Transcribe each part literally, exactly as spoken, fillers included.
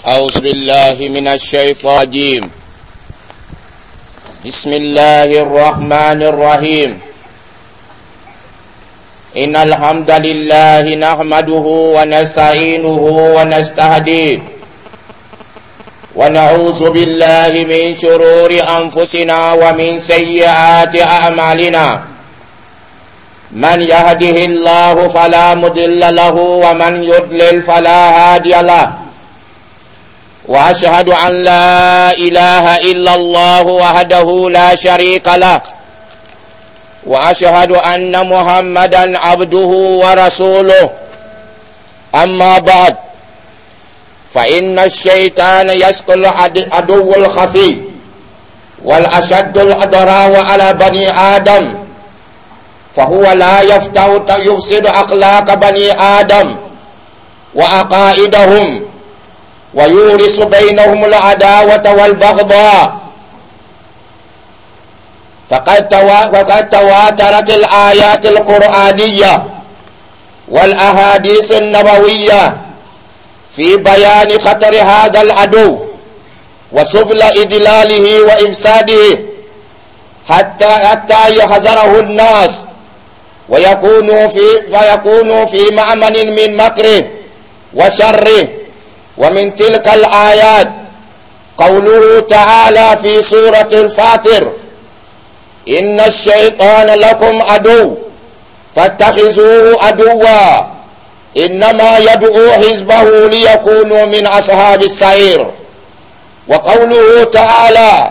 أعوذ بالله من الشيطان الرجيم. بسم الله الرحمن الرحيم. إن الحمد لله نحمده ونستعينه ونستهديه، ونعوذ بالله من شرور أنفسنا ومن سيئات أعمالنا. من يهده الله فلا مضل له ومن يضلل فلا هادي له. وأشهد أن لا إله إلا الله وحده لا شريك له، وأشهد أن محمدا عبده ورسوله. أما بعد، فإن الشيطان يسقي العدو الخفي والأشد الأضرار على بني آدم، فهو لا يفتح يفسد أخلاق بني آدم وعقائدهم، ويورث بينهم العداوة والبغضاء. فقد توا-، وقد تواترت الآيات القرآنية والأحاديث النبوية في بيان خطر هذا العدو وسبل إدلاله وإفساده حتى، حتى يحذره الناس ويكونوا في، ويكونوا في مأمن من مكره وشره. ومن تلك الآيات قوله تعالى في سورة الفاطر: إن الشيطان لكم عدو فاتخذوه عدوا إنما يدعو حزبه ليكونوا من أصحاب السعير. وقوله تعالى: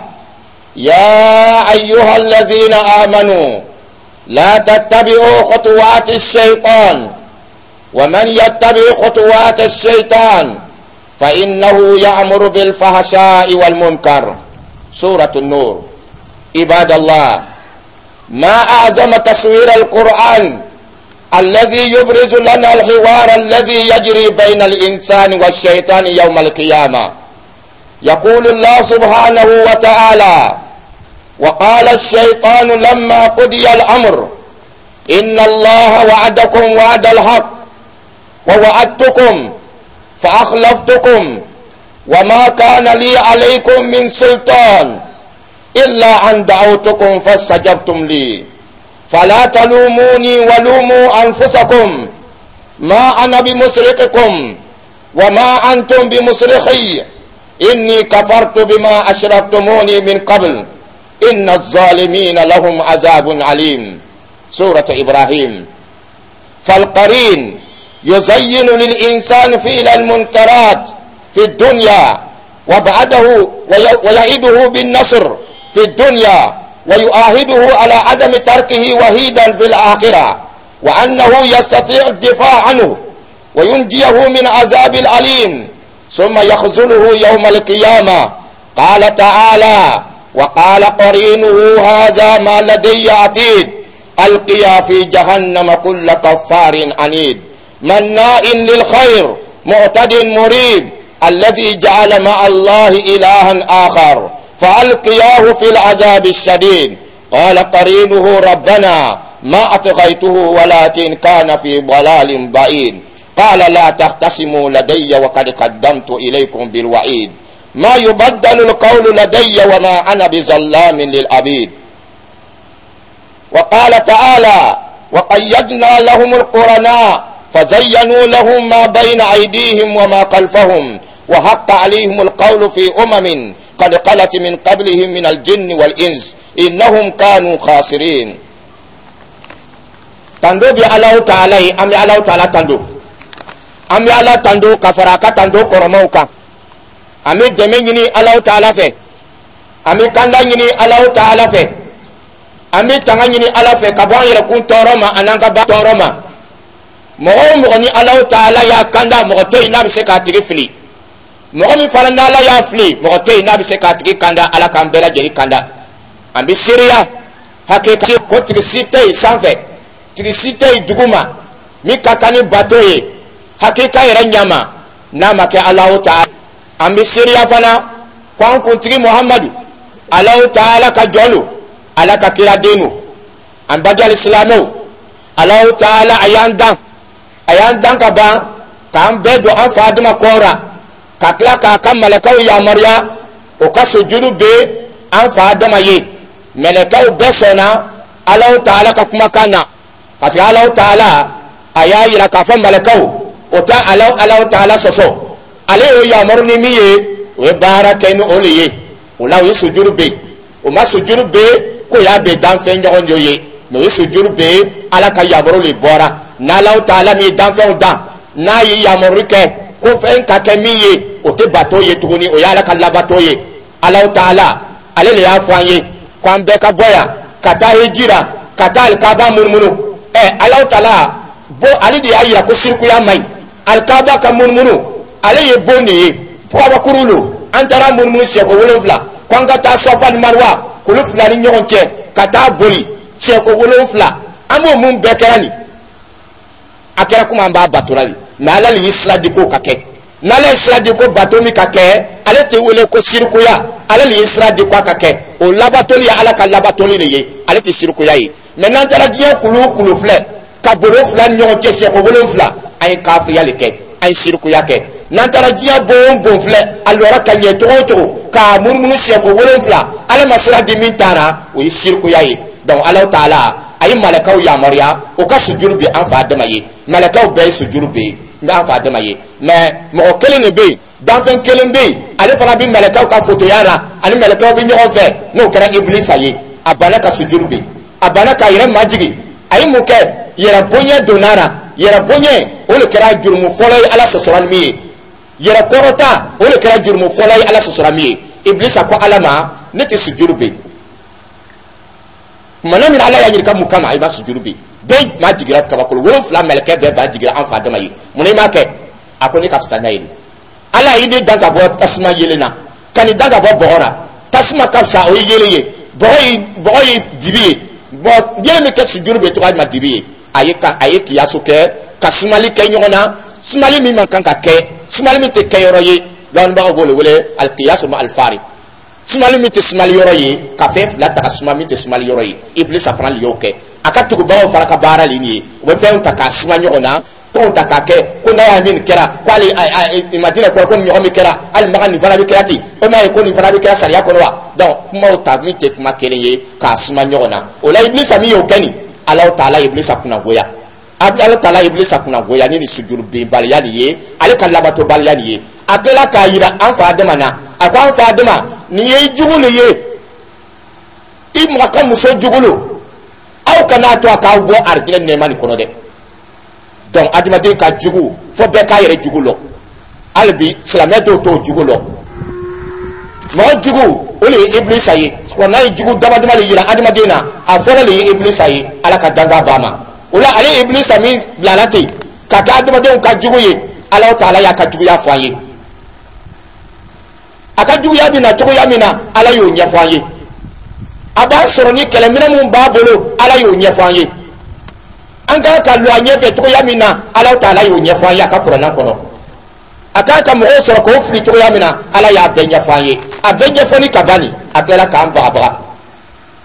يا أيها الذين آمنوا لا تتبعوا خطوات الشيطان ومن يتبع خطوات الشيطان فإنه يأمر بالفحشاء والمنكر. سورة النور. عباد الله، ما أعظم تصوير القرآن الذي يبرز لنا الحوار الذي يجري بين الإنسان والشيطان يوم القيامة. يقول الله سبحانه وتعالى: وقال الشيطان لما قضي الأمر إن الله وعدكم وعد الحق ووعدتكم فأخلفتكم وما كان لي عليكم من سلطان إلا أن دعوتكم فاستجبتم لي فلا تلوموني ولوموا أنفسكم ما أنا بمصرخكم وما أنتم بمصرخي إني كفرت بما أشركتموني من قبل إن الظالمين لهم عذاب عليم. سورة إبراهيم. فالقرين يزين للإنسان فعل المنكرات في الدنيا وبعده ويعده بالنصر في الدنيا ويؤاهده على عدم تركه وحيدا في الآخرة، وأنه يستطيع الدفاع عنه وينجيه من عذاب الأليم ثم يخذله يوم القيامة. قال تعالى: وقال قرينه هذا ما لدي عتيد ألقيا في جهنم كل كفار عنيد مناء للخير معتد مريب الذي جعل مع الله إلها آخر فألقياه في العذاب الشديد. قال قرينه ربنا ما أطغيته ولكن كان في ضلال بعيد. قال لا تختصموا لدي وقد قدمت إليكم بالوعيد ما يبدل القول لدي وما أنا بظلام للعبيد. وقال تعالى: وقيدنا لهم القرناء فزينوا لهم ما بين أيديهم وما خلفهم وحق عليهم القول في أمم قد خلت من قبلهم من الجن والإنس إنهم كانوا خاسرين. Tando bi Alahu Taala ye, an bɛ Alahu Taala tando, an bɛ Ala tando ka fara a ka tando kɔrɔmaw kan. An bɛ dɛmɛ ɲini Alahu Taala fɛ, an bɛ kanda ɲini Alahu Taala fɛ, an bɛ tanga ɲini Ala fɛ ka bɔ an yɛrɛkun tɔɔrɔ ma an'an ka ba tɔɔrɔ ma. Mɔgɔ o mɔgɔ ni Alahu Taala y'a kanda, mɔgɔ tɛ yen n'a bɛ se k'a tigi fili. Mɔgɔ min fana n'Ala y'a fili, mɔgɔ tɛ yen n'a bɛ se k'a tigi kanda. Ala k'an bɛɛ lajɛlen kanda. An bɛ seereya hakɛ ko tigi si tɛ yen sanfɛ, tigi si tɛ yen duguma min ka kan ni bato ye hakika yɛrɛ ɲama n'a ma kɛ Alahu Taala. An bɛ seereya fana ko an kuntigi Muhamadu Alahu Taala ka jɔn don, Ala ka kiraden don. An bajali silamɛw, Alahu Taala a y'an dan, a y'an dan ka ban k'an bɛɛ don an fa Adama kɔra. Ka tila k'a ka mɛlɛkɛw yamaruya o ka sujudu ben an fa Adama ye. Mɛlɛkɛw bɛɛ sɔnna Alahu Taala ka kumakan na, parce que Alahu Taala a y'a yira k'a fɔ mɛlɛkɛw o tɛ Alahu Alahu Taala sɔsɔ. Ale y'o yamaru ni min ye, o ye baara kɛ ni o le ye. O la, o ye sujudu ben. O ma sujudu ben k'o y'a ben danfɛn ɲɔgɔn dɔ ye, mais o ye sujudu ben, Ala ka yamaru le bɔra. N'Alahu Taala min ye danfɛnw dan, n'a ye yamaru kɛ ko fɛn ka kɛ min ye, o tɛ bato ye tuguni, o ye Ala ka labato ye. Alahu Taala ale le y'a fɔ an ye ko an bɛɛ ka bɔ yan ka taa hijira, ka taa alikaba munumunu. Ɛ, Alahu Taala bo, ale de y'a yira ko sirikuya man ɲi. Alikaba ka munumunu, ale ye bon de ye, kabakuru lo. An taara munumunu siɲɛko wolonfila, ko an ka taa Sɔfa ni Mariwa kulu fila ni ɲɔgɔn cɛ ka taa boli siɲɛko wolonfila. An b'o mun bɛɛ kɛra nin, a kɛra komi an b'a batora de. Mais Ala le ye sira di k'o ka kɛ. N'Ala ye sira di ko bato min ka kɛ, ale tɛ wele ko sirikuya. Ale le ye sira di ko a ka kɛ, o labatoli ye Ala ka labatoli de ye, ale tɛ sirikuya ye. Mais n'an taara diɲɛ kulu o kulu filɛ ka boli o fila ni ɲɔgɔn cɛ siɲɛko wolonfila, an ye kafiriya de kɛ, an ye sirikuya kɛ. N'an taara diɲɛ bon o bon filɛ, a lɔra ka ɲɛ cogo o cogo, k'a munumunu siɲɛko wolonfila, Ala ma sira di min taara, o ye sirikuya ye. Donc Ala Taala a ye malakaw yamaruya o ka sujuru bi an fa Adama ye. Malakaw bɛɛ ye sujuru bi n bɛ an fa Adama ye, mais mɔgɔ kelen de bɛ yen, danfɛn kelen bɛ yen, ale fana bɛ mɛlɛkɛw ka fotoya la, ani mɛlɛkɛw bɛ ɲɔgɔn fɛ, n'o kɛra Ibilisa ye. A banna ka sujuru bi, a banna k'a yɛrɛ majigin. A ye mun kɛ? Yɛrɛ bonya donna la. Yɛrɛ bonya, o de kɛra jurumu fɔlɔ ye Ala sɔsɔra ni min ye. Yɛrɛ kɔrɔta, o de kɛra jurumu fɔlɔ ye Ala sɔsɔra min ye. Ibilisa ko Ala ma: "Ne tɛ sujuru bi." Kumana min, Ala y'a ɲininka mun kama i b'a sujuru bi? Bɛɛ ma jigira, kabakolo wolonfila mɛlɛkɛ bɛɛ ba jigira an fa Adama ye. Mun na i m'a kɛ? A ko: "Ne ka fisa n'a ye." Ala y'i ne dan ka bɔ tasuma yelen na, ka nin dan ka bɔ bɔgɔ la. Tasuma ka fisa, o ye yelen ye, bɔgɔ ye bɔgɔ ye dibi ye. Bɔn, yelen min kɛ sujuru bɛ tɔgɔ ma dibi ye. A ye ka a ye kiyaso kɛ ka sumali kɛ ɲɔgɔn na, sumali min man kan ka kɛ, sumali min tɛ kɛ yɔrɔ ye. Dɔnnibagaw b'o de wele alikiyaso ma alifari, sumali min tɛ sumali yɔrɔ ye, ka fɛn fila ta ka suma min tɛ sumali yɔrɔ ye. Ibilisa fana de y'o kɛ, a ka tugubagaw fana ka baara le nin ye. U bɛ fɛnw ta k'a suma ɲɔgɔn na, tɔnw ta k'a kɛ ko n'a y'a min kɛra ko hali Madina kɔrɔ, ko nin ɲɔgɔn min kɛra hali Makan, nin fana bɛ kɛra ten. O m'a ye ko nin fana bɛ kɛra sariya kɔnɔ wa? Donc kumaw ta min tɛ kuma kelen ye k'a suma ɲɔgɔn na. O la, Ibilisa min y'o kɛ nin, Alahu Taala Ibilisa kunnagoya. Ala Taala Ibilisa kunnagoya ni nin sujuru benbaliya nin ye, ale ka labatobaliya nin ye. A tilala k'a yira an fa Adama na. A ko an fa Adama: "Nin ye i jugu le ye, i mɔgɔ ka muso jugu lo. Aw kana to a k'aw bɔ arijinɛ nɛɛma nin kɔnɔ dɛ." Donc adamaden ka jugu fo bɛɛ k'a yɛrɛ jugu lɔ. Hali bi silamɛ dɔw t'o jugu lɔ. Mɔgɔ jugu, o de ye Ibilisa ye. Wa n'a ye jugu dama dama de yira adamaden na, a fɔlɔ de ye Ibilisa ye. Ala ka danga b'a ma. O la, ale ye Ibilisa min bilala ten ka kɛ adamadenw ka jugu ye, Ala Taala y'a ka juguya fɔ an ye. A ka juguya bɛ na cogoya min na, Ala y'o ɲɛfɔ an ye. A b'a sɔrɔ ni kɛlɛminɛ mun b'a bolo, Ala y'o ɲɛfɔ an ye. An kan ka lɔ a ɲɛfɛ cogoya min na, Ala Taala y'o ɲɛfɔ an ye a ka kuranna kɔnɔ. A kan ka mɔgɔw sɔrɔ k'o fili cogoya min na, Ala y'a bɛɛ ɲɛfɔ an ye. A bɛɛ ɲɛfɔli ka ban nin, a tilala k'an bagabaga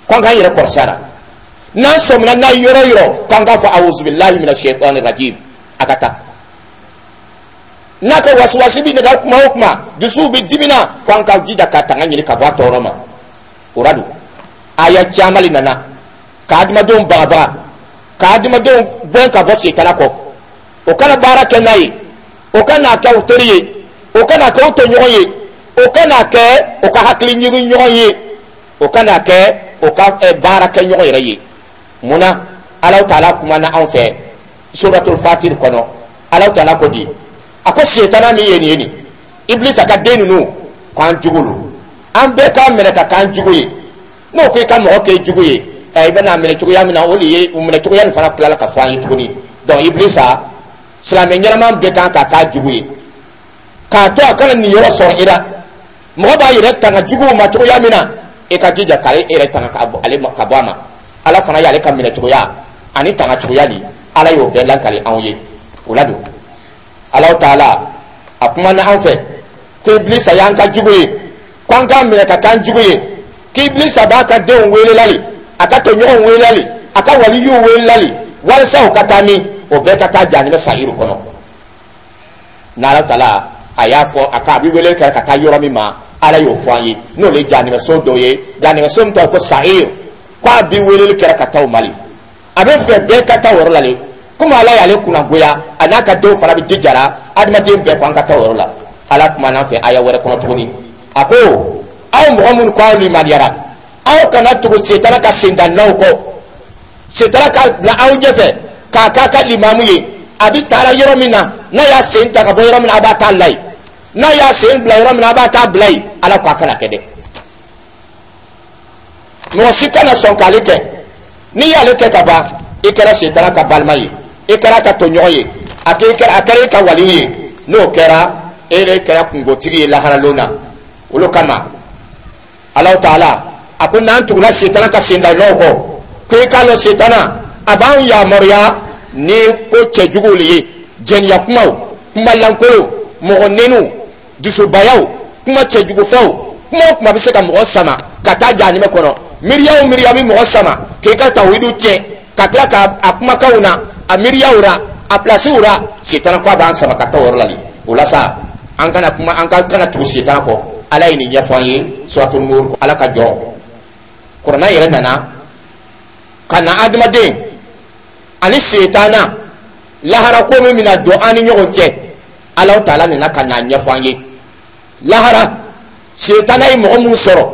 k'an k'an yɛrɛ kɔlɔsi a la. N'an sɔmina n'a ye yɔrɔ yɔrɔ, k'an k'a fɔ: "Awuzubilahi mina shayitani rajim." A ka taa n'a ka wasiwasi bi nɛgɛ kuma o kuma, dusuw bɛ dimina, k'an ka jija ka tanga ɲini ka bɔ a tɔɔrɔ ma. O la don, aya caman le nana ka adamadenw bagabaga, ka adamadenw gɛn ka bɔ setana kɔ, o kana baara kɛ n'a ye, o kana kɛ o teri ye, o kana kɛ o tɔɲɔgɔn ye, o kana kɛ o ka hakili ɲigin ɲɔgɔn ye, o kana kɛ o ka baara kɛ ɲɔgɔn yɛrɛ ye. Munna Alahu Taala kumana anw fɛ Suratul Fatir kɔnɔ? Alahu Taala ko di? A ko setana min ye nin ye, nin Ibilisa ka den ninnu, k'an jugu lo, an bɛɛ k'a minɛ ka k'an jugu ye. N'o ko i ka mɔgɔ kɛ jugu ye, ɛ, i bɛna minɛ cogoya min na, o de ye o minɛ cogoya nin fana tilala ka fɔ an ye tuguni. Donc Ibilisa, silamɛ ɲɛnama bɛɛ kan ka k'a jugu ye, k'a to a kana nin yɔrɔ sɔrɔ i la. Mɔgɔ b'a yɛrɛ tanga juguw ma cogoya min na, e ka jija k'ale yɛrɛ tanga ka bɔ ale ma, ka bɔ a ma. Ala fana y'ale ka minɛ cogoya ani tanga cogoya di, Ala y'o bɛɛ lakali anw ye. O la don, Alahu Taala a kumana an fɛ ko Ibilisa y'an ka jugu ye, ko an k'a minɛ ka k'an jugu ye, k'Ibilisa b'a ka denw weelelali, a ka tɔɲɔgɔnw weelelali, a ka waliyuw weelelali, walasa o ka taa min, o bɛɛ ka taa jahanama sayiru kɔnɔ. N'Ala Taala A y'a fɔ a ka a bɛ wele kɛ ka taa yɔrɔ min ma, Ala y'o fɔ an ye, n'o le ye jahanɛmɛso dɔ ye, jahanɛmɛso min tɔgɔ ko Sa'ir, k'a bɛ weleli kɛra ka taa o Mali. A bɛ fɛ bɛɛ ka taa o yɔrɔ la le, komi Ala y'ale kunnagoya, a n'a ka denw fana bɛ jijara adamaden bɛɛ ko an ka taa o yɔrɔ la. Ala kumana an fɛ aya wɛrɛ kɔnɔ tuguni, a ko: aw mɔgɔ minnu ko aw limaniyara, aw kana tugu setana ka sendannaw kɔ. Setana ka bila aw ɲɛfɛ k'a k'a ka limamu ye. A bɛ taara yɔrɔ min na, n'a y'a sen ta ka bɔ yɔrɔ min na, a b'a taa la yen. N'a y'a sen bila yɔrɔ min na, a b'a taa bila yen. Ala ko a kana kɛ dɛ, mɔgɔ si kana sɔn k'ale kɛ. N'i y'ale kɛ ka ban, i kɛra setana ka balima ye, i kɛra ka tɔɲɔgɔn ye, a kɛra a kɛra i ka waliw ye. N'o kɛra, e de kɛra kungotigi ye laharalon na. Olu kama, Alahu Taala a ko n'an tugula setana ka sendanɔw kɔ, ko i k'a lɔn setana a b'an yamaruya ni ko cɛjuguw le ye: jɛniya kumaw, kuma lankolon, mɔgɔ neniw, dusubayaw, kuma cɛjugufɛnw, kuma o kuma bɛ se ka mɔgɔ sama ka taa jahanɛmɛ kɔnɔ. Miiriya o miiriya bɛ mɔgɔ sama k'i ka tawhidu tiɲɛ, ka tila ka a kumakanw na, a miiriyaw ra, a pilasiw ra, setana ko a b'an sama ka taa o yɔrɔ la de. O la sa, an kana kuma, an ka kana tugu setana kɔ. Ala ye nin ɲɛfɔ an ye Suratu Nur. Ala ka jɔ kuranna yɛrɛ nana ka na adamaden ani setana lahara ko min bɛna don an ni ɲɔgɔn cɛ, Ala Taala nana ka na ɲɛfɔ an ye. Lahara, setana ye mɔgɔ mun sɔrɔ,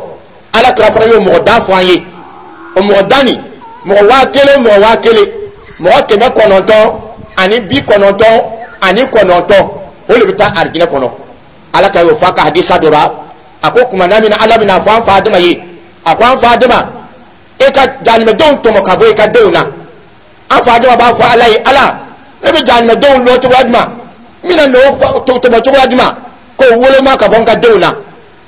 Ala kira fana y'o mɔgɔ da fɔ an ye. O mɔgɔ da nin, mɔgɔ waa kelen, mɔgɔ waa kelen, mɔgɔ kɛmɛ kɔnɔntɔn ani bi kɔnɔntɔn ani kɔnɔntɔn, o de bɛ taa arijinɛ kɔnɔ. Ala ka y'o fɔ a ka hadisa dɔ la. A ko kuma na min na Ala bɛna fɔ an fa Adama ye, a ko: an fa Adama, e ka jahanɛmɛdenw tɔmɔ ka bɔ i ka denw na. An fa Adama b'a fɔ Ala ye: Ala, ne bɛ jahanɛmɛdenw lɔ cogoya jumɛn? N bɛna n'o tɔmɔ cogoya jumɛn k'o woloma ka bɔ n ka denw na?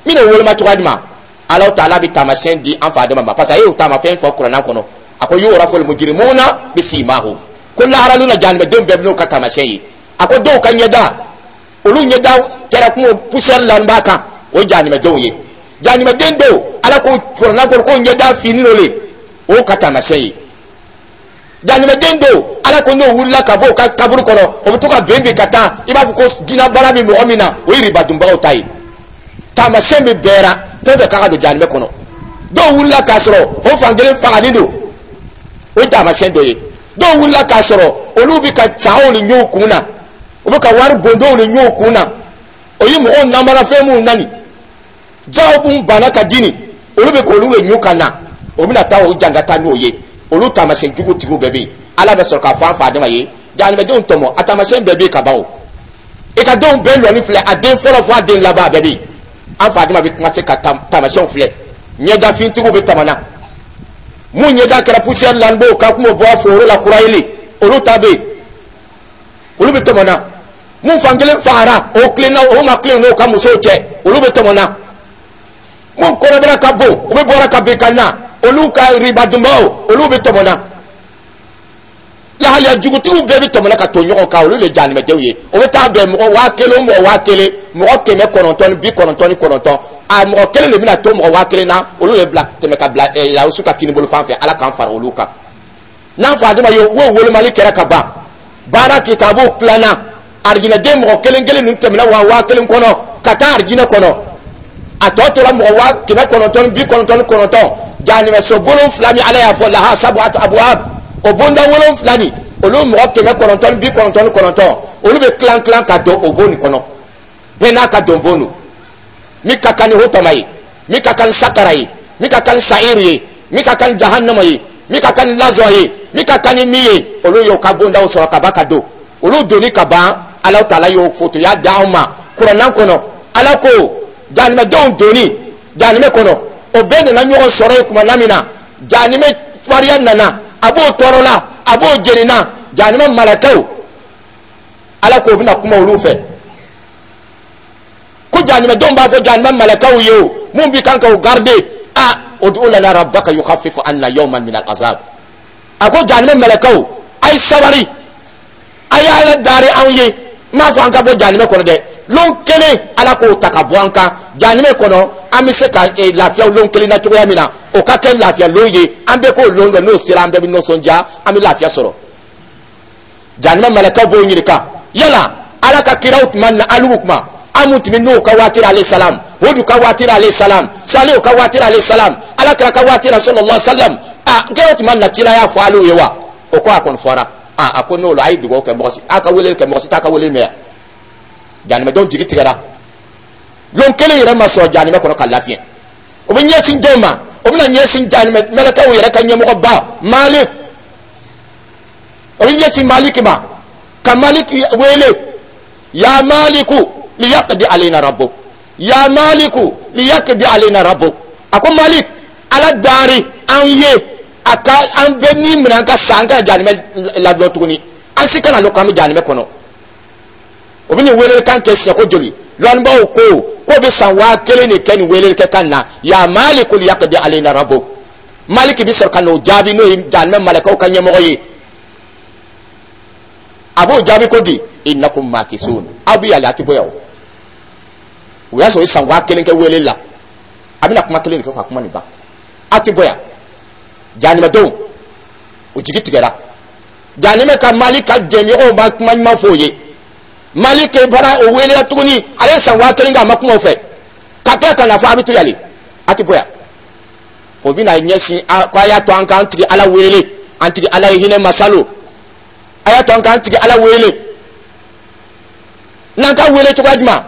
N bɛna o woloma cogoya jumɛn? Ala Taala bɛ taamasiyɛn di an fa Adama ma, parce que a y'o taamasiyɛn fɔ kuranna kɔnɔ. A ko: yu'raful mujrimuna bisimahum. Ko laharali na, jahanɛmɛdenw bɛɛ bɛ n'o ka taamasiyɛn ye. A ko dɔw ka ɲɛda, olu ɲɛda kɛra kuma poussière la b'a kan, o ye jahanɛmɛdenw ye. Jahanɛmɛden dɔw, Ala ko kuranna kɔnɔ ko ɲɛda fini dɔ le, o ka taamasiyɛn ye. Jahanɛmɛden dɔw, Ala ko n'o wulila ka bɔ o ka kaburu kɔnɔ, o bɛ to ka ben bin ka taa, i b'a fɔ ko jinɛbana bɛ mɔgɔ min na, o ye ribadunbagaw ta ye. Taamasiyɛn bɛ bɛɛ ra, fɛn fɛn k'a ka don jahanɛmɛ kɔnɔ. Dɔw wulila k'a sɔrɔ o fan kelen fagalen don, o ye taamasiyɛn dɔ ye. Dɔw wulila k'a sɔrɔ olu bɛ ka sagaw ni ɲɔw kun na, u bɛ ka wari bondow ni ɲɔw kun na, o ye mɔgɔw namarafɛn minnu nani jaw mun banna ka di nin, olu bɛ k'olu de ɲu ka na, o bɛna taa o jangata n'o ye. Olu taamasiyɛn jugu tigiw bɛɛ bɛ yen. Ala bɛ sɔrɔ k'a fɔ an fa Adama ye: jahanɛmɛdenw tɔmɔ, a taamasiyɛn bɛɛ bɛ yen ka ban. O i ka denw bɛɛ lɔni filɛ, a den fɔlɔ fo a den laban, a bɛɛ bɛ yen. An fa Adama bɛ commencer ka taamasiyɛnw filɛ. Ɲɛdafintigiw bɛ tɛmɛ mun ɲɛda kɛra poussière la, b'o ka kuma bɔ foro la kura yeli, olu ta bɛ yen, olu bɛ tɛmɛ na. Mun fankelen fagara, o tilenna, o ma tilen n'o ka musow cɛ, olu bɛ tɛmɛ na. Mun kɔnɔbara ka bon, u bɛ bɔra ka bin ka na, olu ka ribadunbaw, olu bɛ tɛmɛ na. Lahaliya jugutigiw bɛɛ bɛ tɛmɛ ka to ɲɔgɔn kan, olu de ye jahanɛmɛdenw ye. O bɛ taa bɛn mɔgɔ waa kelen o mɔgɔ waa kelen, mɔgɔ kɛmɛ kɔnɔntɔn ni bi kɔnɔntɔn ni kɔnɔntɔn, a mɔgɔ kelen de bɛna to mɔgɔ waa kelen na, olu de bila tɛmɛ ka bila ɛ lawusu ka kinibolo fan fɛ. Ala k'an fara olu kan. N'an fa Adama ye wo, wolomali kɛra ka ban, baara kitabu tilanna, arijinɛden mɔgɔ kelen kelen ninnu tɛmɛna waa waa kelen kɔnɔ ka taa arijinɛ kɔnɔ, a tɔ tora mɔgɔ waa kɛmɛ kɔnɔntɔn ni bi kɔnɔntɔn ni kɔnɔntɔn. Jahanɛmɛso wolonfila min Ala y'a fɔ laha sabuatu abuwab, o bonda wolonfila nin, olu mɔgɔ kɛmɛ kɔnɔntɔn ni bi kɔnɔntɔn ni kɔnɔntɔn, olu bɛ tilan tilan ka don o bon nin kɔnɔ. Bɛɛ n'a ka don bon don, min ka kan ni hotama ye, min ka kan ni sakara ye, min ka kan ni sa'iru ye, min ka kan ni jahannama ye, min ka kan ni lazɔ ye, min ka kan ni min ye, olu y'o ka bondaw sɔrɔ ka ban ka don. Olu donni ka ban, Ala Taala y'o fotoya d'anw ma kuranna kɔnɔ. Ala ko jahanɛmɛdenw donni jahanɛmɛ kɔnɔ, o bɛɛ nana ɲɔgɔn sɔrɔ yen. Tuma na min na jahanɛmɛ fariya nana, a b'o tɔɔrɔ la, a b'o jeni na, jahanɛmɛ malakaw, Ala k'o bɛna kuma olu fɛ ko jahanɛmɛdenw b'a fɔ jahanɛmɛ malakaw ye, o mun bi kan k'o garder: a ud'u lana rabbaka yukhaffifu anna yawman min al-azab. A ko jahanɛmɛ malakaw, a ye sabari, a ye Ala dari anw ye. N m'a fɔ an ka bɔ jahanɛmɛ kɔnɔ dɛ, lon kelen Ala k'o ta ka bɔ an kan jahanɛmɛ kɔnɔ, an bɛ se ka eh, lafiya lon kelen na cogoya min na, o ka kɛ lafiya lon ye, an bɛɛ k'o lon dɔn. N'o sera, an bɛɛ bɛ nisɔndiya, an bɛ lafiya sɔrɔ. Jahanɛmɛ malakaw b'o ɲininka: yala Ala ka kiraw tuma na, alugu kuma An mun tun bɛ Nuhu ka waati la alayhi salam, Hudu ka waati la alayhi salam, Salihu ka waati la alayhi salam, Alakira ka waati la sallallahu alaihi wasallam, a k'e tun ma na kiraya fɔ alu ye wa? O ko a kɔni fɔra. A a ko n'o la, a ye dugawu kɛ, mɔgɔ si a ka weleli kɛ, mɔgɔ si t'a ka weleli mɛn yan. Jahanamɛdenw jigi tigɛra. Lon kelen yɛrɛ ma sɔrɔ jahanamɛ kɔnɔ ka lafiɲɛ. O bɛ ɲɛsin jɔn ma? O bɛna ɲɛsin jahanamɛ mɛlɛkɛw yɛrɛ ka ɲɛmɔgɔba Malik. O bɛ ɲɛsin Maliki ma, ka Maliki wele: ya Maliku liyaqdi alayna rabbuk, ya Maliku liyaqdi alayna rabbuk. A ko: Malik, Ala dari an ye, a ka an bɛ ni minɛ, an ka sa, an ka jahanamɛ ladɔn tuguni, an si kana lɔn k'an bɛ jahanamɛ kɔnɔ. O bɛ nin welelikan kɛ siɲɛ ko joli? Lɔnnibaaw ko k'o bɛ san waa kelen de kɛ nin weleli kɛ kan na: ya Maliku liyaqdi alayna rabbuk. Maliki bɛ sɔrɔ ka n'o jaabi, n'o ye jahanamɛ malakaw ka ɲɛmɔgɔ ye. A b'o jaabi ko di: innakum makisun, aw bɛ yɛlɛ, a tɛ bɔ yan. O o y'a sɔrɔ o ye san waa kelen kɛ weleli la. A bɛna kuma kelen de kɛ ka kuma nin ban: aw tɛ bɔ yan. Jahanamɛdenw, o jigi tigɛra. Jahanamɛ ka Mali ka jɛɲɔgɔnw ma kuma ɲuman fɔ o ye. Mali ke fana, o welela tuguni. Ale ye san waa kelen kɛ, a ma kuma o fɛ, ka tila ka na fɔ a bɛ to yan, a tɛ bɔ yan. O bɛna ɲɛsin ko a y'a to an k'an tigi Ala wele, an tigi Ala ye hinɛ masalo, a y'a to an k'an tigi Ala wele. N'an ka wele cogoya jumɛn?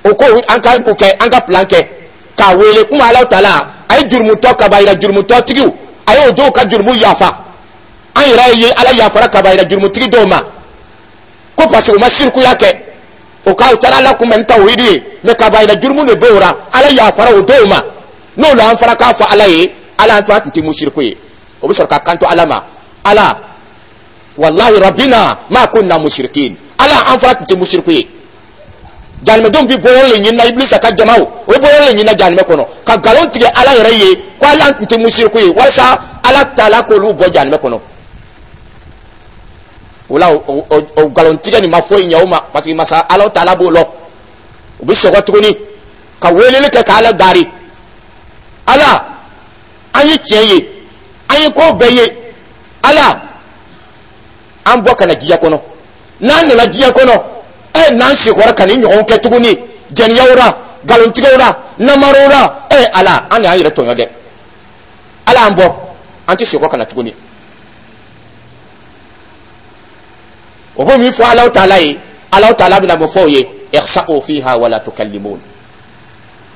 O ko an ka o kɛ, an ka plan kɛ k'a wele kuma. Ala ta la, a ye jurumutɔ kabayira jurumutɔ tigiw, a y'o dɔw ka jurumu yafa. An yɛrɛ ye Ala yafara kabayira jurumutigi dɔw ma ko parce que u ma sirikuya kɛ, o ka u taara Ala kunbɛn ni tawhidi ye, mais kabayira jurumu de b'o la, Ala yafara o dɔw ma. N'o la, an fana k'a fɔ Ala ye: Ala, an to a tun tɛ musiriku ye. O bɛ sɔrɔ ka kanto Ala ma: Ala, wallahi rabbina ma kunna mushrikin, Ala, an fana tun tɛ musiriku ye. Jahanamɛdenw bɛ bɔ yɔrɔ le ɲinina. Ibilisa ka jamaw, o bɛ bɔ yɔrɔ le ɲinina jahanamɛ kɔnɔ ka nkalon tigɛ Ala yɛrɛ ye ko Ala tun tɛ musiriku ye, walasa Ala taala k'olu bɔ jahanamɛ kɔnɔ. O la, o nkalon tigɛ nin ma foyi ɲɛ o ma, parce que masa Ala taala b'o lɔ. U bɛ sɔgɔ tuguni ka weleli kɛ k'Ala dari: Ala, an ye tiɲɛ ye, an ye ko bɛɛ ye. Ala, an bɔ ka na diɲɛ kɔnɔ. N'an nana diɲɛ kɔnɔ, ɛ, n'an sekɔrɔ ka nin ɲɔgɔn kɛ tuguni, jɛniyɛw la, nkalontigɛw la, namaraw la, ɛ, Ala, an de y'an yɛrɛ tɔɲɔ dɛ. Ala, an bɔ, an tɛ sekɔ ka na tuguni. O b'o min fɔ Alahu taala ye, Alahu taala bɛna mun fɔ o ye? Ikhsa'u fiha wala tukallimun,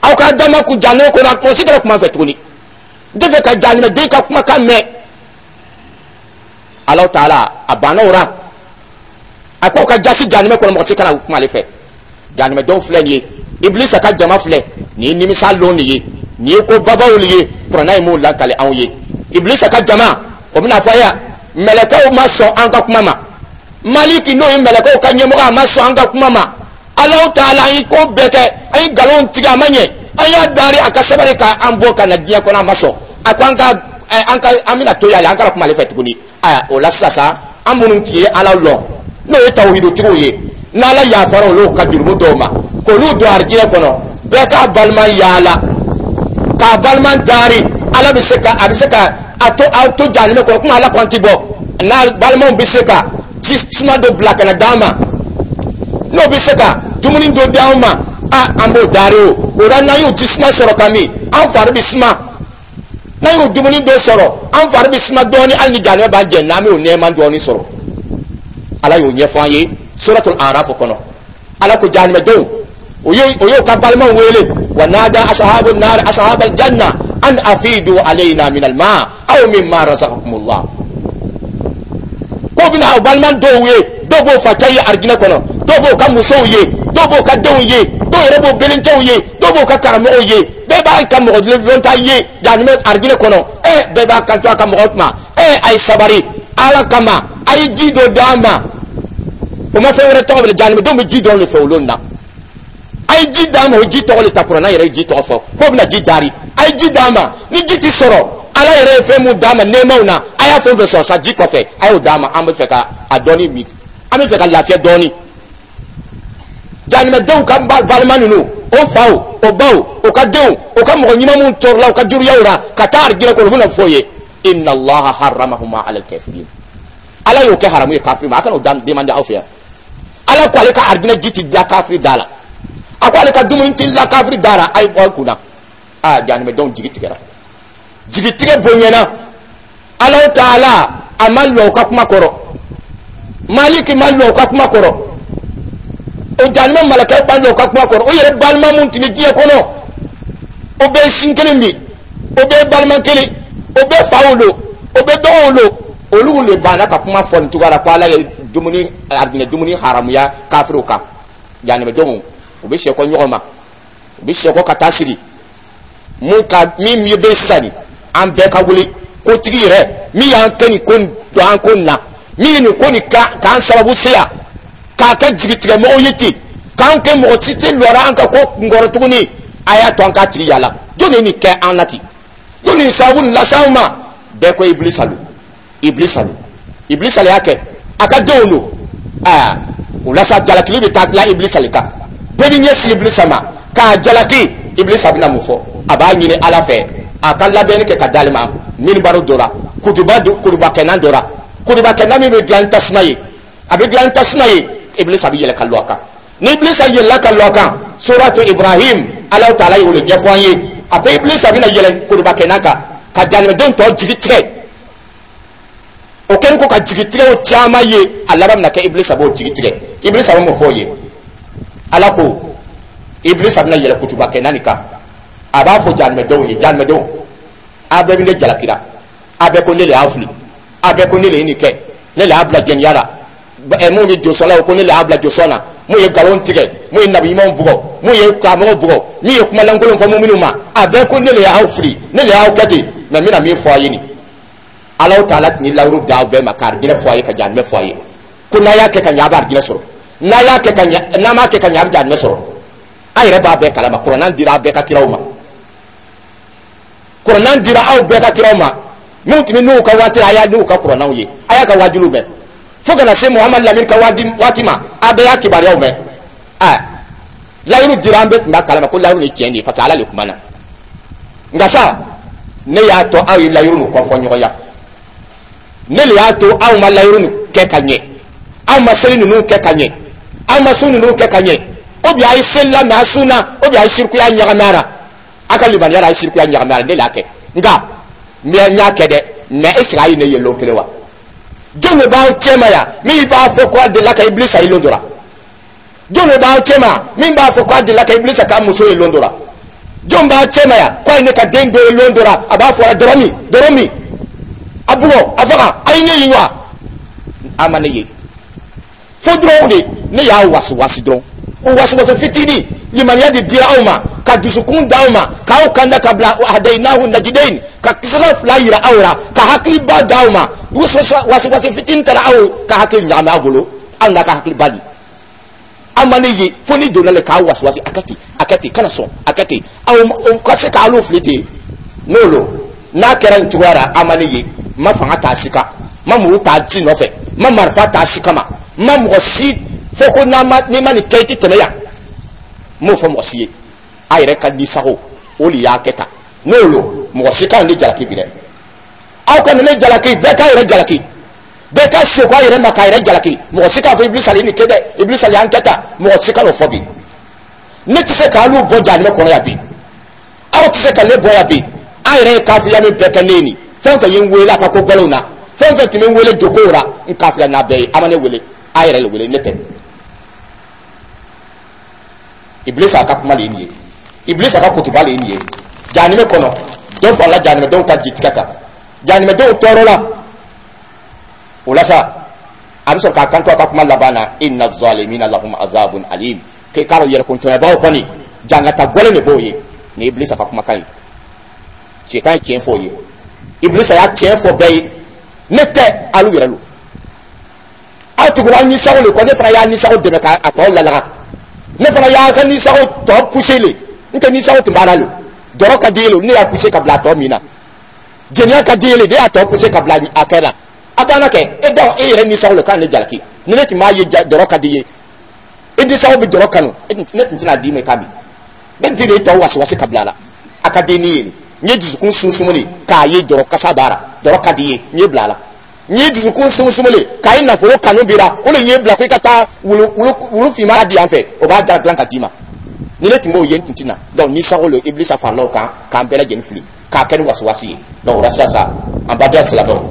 aw ka dama kun jahanama kɔnɔ, mɔgɔ si kana kuma fɛ tuguni, n tɛ fɛ ka jahanamɛden ka kumakan mɛn. Alahu taala a banna o la, a ko ka jasi jahanamɛ kɔnɔ, mɔgɔ si kana kuma ale fɛ. Jahanamɛdenw filɛ nin ye, Ibilisa ka jama filɛ nin ye, nimisa lon nin ye, nin ye ko babaw nin ye. Kuranna ye m'o lakale anw ye. Ibilisa ka jama, o bɛna fɔ yan: mɛlɛkɛw ma sɔn an ka kuma ma. Maliki, n'o ye mɛlɛkɛw ka ɲɛmɔgɔ, a ma sɔn an ka kuma ma. Alahu taala, an ye ko bɛɛ kɛ, an ye nkalon tigɛ, a ma ɲɛ. An y'a dari a ka sabali k'an bɔ ka na diɲɛ kɔnɔ, a ma sɔn. A ko an ka an ka an bɛna to yan, an kana kuma ale fɛ tuguni. Aya, o la sisan sa, an minnu tun ye Ala lɔn, n'o ye tawhidutigiw ye, n'Ala yafara olu ka jurumu dɔw ma k'olu don arijinɛ kɔnɔ, bɛɛ k'a balima yaala k'a balima dari. Ala bɛ se ka a bɛ se ka a to a to jahanamɛ kɔnɔ komi Ala ko an ti bɔ. N'a balimaw bɛ se ka ji suma dɔ bila ka na d'an ma, n'o bɛ se ka dumuni dɔ d'an ma, a an b'o dari. O o la, n'an y'o ji suma sɔrɔ ka min, an fari bɛ suma. N'an y'o dumuni dɔ sɔrɔ, an fari bɛ suma dɔɔni, hali ni jahanamɛ b'an jɛ, n'an b'o nɛɛma dɔɔni sɔrɔ. Ala y'o ɲɛfɔ an ye Suratul Araf kɔnɔ. Ala ko jahanamɛdenw, o y'o o y'o ka balimaw wele: wa nada ashabu nar ashabal janna an afidu alayna min alma aw mimma razaqakumullah. Ko bɛna o balima dɔw ye, dɔw b'o facɛ ye arijinɛ kɔnɔ, dɔw b'o ka musow ye, dɔw b'o ka denw ye, dɔw yɛrɛ b'o belencɛw ye, dɔw b'o ka karamɔgɔw ye. Bɛɛ b'a ka mɔgɔ lɔnta ye jahanamɛ arijinɛ kɔnɔ. Ɛ, bɛɛ b'a kanto a ka mɔgɔ ma: ɛ, a ye sabari Ala kama, a ye ji dɔ d'an ma. O ma fɛn wɛrɛ tɔgɔ wele, jahanamɛdenw bɛ ji dɔrɔn de fɛ olu na. A ye ji d'an ma. O ji tɔgɔ le ta, kuranna yɛrɛ ye ji tɔgɔ fɔ k'o bɛna ji dari. A ye ji d'an ma. Ni ji ti sɔrɔ, Ala yɛrɛ ye fɛn mun d'an ma nɛɛmaw na, a y'a fɛn fɛn sɔrɔ sa ji kɔfɛ, a y'o d'an ma. An bɛ fɛ ka a dɔɔni min, an bɛ fɛ ka lafiya dɔɔni. Jahanamɛdenw ka balima ninnu, o faw, o baw, o ka denw, o ka mɔgɔ ɲuman minnu tɔɔrɔla o ka juruyaw la ka taa arijinɛ kɔnɔ, u bɛna fɔ o ye: inna Allaha harramahuma ala kafirin, Ala y'o kɛ haramu ye kafiri ma, a kana o demande aw fɛ yan. Ala ko ale ka arijinɛ ji ti da kafiri da la. A ko ale ka dumuni ti la kafiri da ra, a ye bɔ kunna. Aa, jahanamɛdenw jigi tigɛra, jigi tigɛ bonyana. Alahu Taala a ma lɔ u ka kuma kɔrɔ, Maliki ma lɔ u ka kuma kɔrɔ, o jahanamɛ malakɛw ma lɔ u ka kuma kɔrɔ. O yɛrɛ balima mun tun bɛ diɲɛ kɔnɔ, o bɛɛ ye sin kelen min, o bɛɛ ye balima kelen, o bɛɛ fa wolo, o bɛɛ dɔgɔ wolo, olu le banna ka kuma fɔ nin cogoya la ko Ala ye dumuni, arijinɛ dumuni haramuya kafiriw kan. Jahanamɛdenw, u bɛ sɛkɔ ɲɔgɔn ma, u bɛ sɛkɔ ka taa sigi mun ka min bɛ sisan nin, an bɛɛ ka wuli kotigi yɛrɛ min y'an kɛ nin ko nin don an ko nin na, min ye nin ko nin k'an sababu se yan, k'a kɛ jigitigɛmɔgɔw ye ten, k'an kɛ mɔgɔ si tɛ lɔra an ka ko kunkɔrɔ tuguni. A y'a to an k'a tigi yala, jɔn ye nin kɛ an na ten? Jɔn nin sababu nin lase anw ma? Bɛɛ ko Ibilisa lo, Ibilisa lo, Ibilisa le y'a kɛ, a ka denw don. Aa, o la sa, jalakili bɛ taa dilan Ibilisa le kan. Bɛɛ bɛ ɲɛsin Ibilisa ma k'a jalaki. Ibilisa bɛna mun fɔ? A b'a ɲini Ala fɛ a ka labɛnni kɛ ka d'ale ma minibaro dɔ la, kutuba kutubakɛnan dɔ la, kutubakɛnan min bɛ dilan tasuma ye, a bɛ dilan tasuma ye. Ibilisa bɛ yɛlɛ ka lɔ a kan. Ni Ibilisa yɛlɛla ka lɔ a kan, Suratu Ibrahim, Alahu Taala y'o de ɲɛfɔ an ye. A ko Ibilisa bɛna yɛlɛ kutubakɛnan kan ka jahanamɛdenw tɔ jigi tigɛ. O kɛlen ko ka jigi tigɛ o caman ye, a laban bɛna kɛ Ibilisa b'o jigi tigɛ. Ibilisa bɛ mun fɔ o ye? Ala ko Ibilisa bɛna yɛlɛ kutubakɛnan nin kan, a b'a fɔ jahanamɛdenw ye: "Jahanamɛdenw, a bɛɛ bɛ ne jalakira, a bɛɛ ko ne le y'a fili, a bɛɛ ko ne le ye nin kɛ, ne le y'a bila jɛniya la. Ɛ, mun ye josɔnna, ko ne le y'a bila josɔn na. Mun ye nkalon tigɛ, mun ye nabi ɲumanw bugɔ, mun ye karamɔgɔw bugɔ, min ye kumalankolon fɔ minnu ma, a bɛɛ ko ne le y'aw fili, ne le y'aw kɛ ten. Mɛ n bɛna min fɔ a ye nin, Alahu Taala tun ye lawuru d'aw bɛɛ ma ka arijinɛ fɔ a ye, ka jahanamɛ fɔ a ye, ko n'a y'a kɛ ka ɲɛ, a bɛ arijinɛ sɔrɔ, n'a y'a kɛ ka ɲɛ, n'a m'a kɛ ka ɲɛ, a bɛ jahanamɛ sɔrɔ. A yɛrɛ b'a bɛɛ kalama, kuranɛ dira a bɛɛ ka kiraw ma, kuranɛ dira aw bɛɛ ka kiraw ma. Minnu tun bɛ n'u ka waati la, a y'a n'u ka kuranɛw ye, a y'a ka wajuliw mɛn, fo kana se Muhamadu Lamini ka waati ma, a bɛɛ y'a kibaruyaw mɛn. Aa, layiru dira, an bɛɛ tun b'a kalama ko layiru ni tiɲɛ de ye, parce que Ala de kumana. Nka sa, ne y'a to aw ye layiru nin kɔfɔ ɲɔgɔnya, ne le y'a to aw ma layiru nin kɛ ka ɲɛ, aw ma seli ninnu kɛ ka ɲɛ, aw ma sun ninnu kɛ ka ɲɛ. O bi a ye seli la, mɛ a sun na, o bi a ye sirikuya ɲagami a la, a ka limaniya la, a ye sirikuya ɲagami a la. Ne le y'a kɛ, nka mɛ n y'a kɛ dɛ, mɛ est ce que a ye ne ye lon kelen wa? Jɔn de b'aw cɛ ma yan min b'a fɔ ko a delila ka Ibilisa ye lon dɔ la? Jɔn de b'aw cɛ ma min b'a fɔ ko a delila ka Ibilisa k'a muso ye lon dɔ la? Jɔn b'aw cɛ ma yan ko a ye ne ka den dɔ ye lon dɔ la, a b'a fɔ dɔrɔn min, dɔrɔn min, a bugɔ, a faga? A ye ne ye wa? A ma ne ye. Fo dɔrɔn de ne y'a wasi wasi dɔrɔn, o wasi wasi fitinin, limaniya de dira aw ma, ka dusukun d'aw ma, k'aw kanda ka bila hadayinahu najidain, ka sira fila yira aw la, ka hakiliba d'aw ma. Wasi wasi fitinin taara aw ka hakili ɲagami aw bolo, aw n'a ka hakiliba di. Aw ma ne ye, fo ni donna le k'aw wasi wasi, a kɛ ten, a kɛ ten, kana sɔn, a kɛ ten, aw ka se k'aw fili ten. N'o lo n'a kɛra nin cogoya la, aw ma ne ye. N ma fanga ta si kan, n ma muru ta ci nɔfɛ, n ma marifa ta si kama, n ma mɔgɔ si fɔ ko n'a ma, n'i ma nin kɛ, i tɛ tɛmɛ yan. N m'o fɔ mɔgɔ si ye. A yɛrɛ ka nisago o de y'a kɛ tan. N'o lo, mɔgɔ si kana ne jalaki bi dɛ. Aw kana ne jalaki, bɛɛ k'a yɛrɛ jalaki, bɛɛ ka seko a yɛrɛ ma k'a yɛrɛ jalaki. Mɔgɔ si k'a fɔ Ibilisa ye nin kɛ dɛ, Ibilisa y'an kɛ tan, mɔgɔ si kan'o fɔ bi. Ne tɛ se k'alu bɔ jahanamɛ kɔnɔ yan bi, aw tɛ se ka ne bɔ yan bi. An yɛrɛ ye kafiya min bɛɛ kɛ ne ye nin, fɛn fɛn ye n wele a ka ko gɛlɛnw na, fɛn fɛn tun bɛ n wele jokow la, n kafiya n'a bɛɛ ye. A ma ne wele, a yɛrɛ le wele, ne tɛ. Ibilisa ka kuma de ye nin ye, Ibilisa ka kutuba de ye nin ye. Jahanamɛ kɔnɔ, dɔ farala jahanamɛdenw ka jitigɛ kan, jahanamɛdenw tɔɔrɔ la. O la sa, a bɛ sɔrɔ k'a kanto a ka kuma laban na: "Inna zalimina lahum azabun alim." K'e k'a dɔn, yɛrɛkuntɔɲɔbaw kɔni, jangata gɔlɛn de b'o ye. Nin ye Ibilisa ka kumakan ye. Cɛ kan ye tiɲɛ fɔ o ye, Ibilisa y'a tiɲɛ fɔ bɛɛ ye. Ne tɛ, alu yɛrɛ lo, aw tugura nisago le kɔ. Ne fana y'a nisago dɛmɛ k'a tɔ lalaga, ne fana y'a ka nisago tɔ poussé le. N tɛ, nisago tun b'a la le, dɔrɔ ka di ye le, ne y'a poussé ka bila a tɔ min na. Jɛnɛya ka di ye le, ne y'a tɔ poussé ka bila a kɛ la. A banna kɛ e da, e yɛrɛ nisago le k'an ne jalaki. Ni ne tun b'a ye dɔrɔ ka di ye, e nisago bɛ dɔrɔ kanu, ne tun tɛna d'i ma i k'a min. Ne tun tɛna e tɔ wasi wasi ka bila a la. A ka di ni ye nin, n ye dusukun sunsumuni k'a ye dɔrɔ kasa b'a la, dɔrɔ ka di ye, n ye bila a la. N ye dusukun sunsumuni k'a ye nafolo kanu b'i la, o de ye bila ko i ka taa wulu wulu wulu finman di yan fɛ, o b'a da dilan ka d'i ma. Ni ne tun b'o ye, n tun tɛ na. Donc ni sago lo, Ibilisa farala o kan k'an bɛɛ lajɛlen fili k'a kɛ ni wasiwasi ye. Donc o la sisan, an baden silamɛw,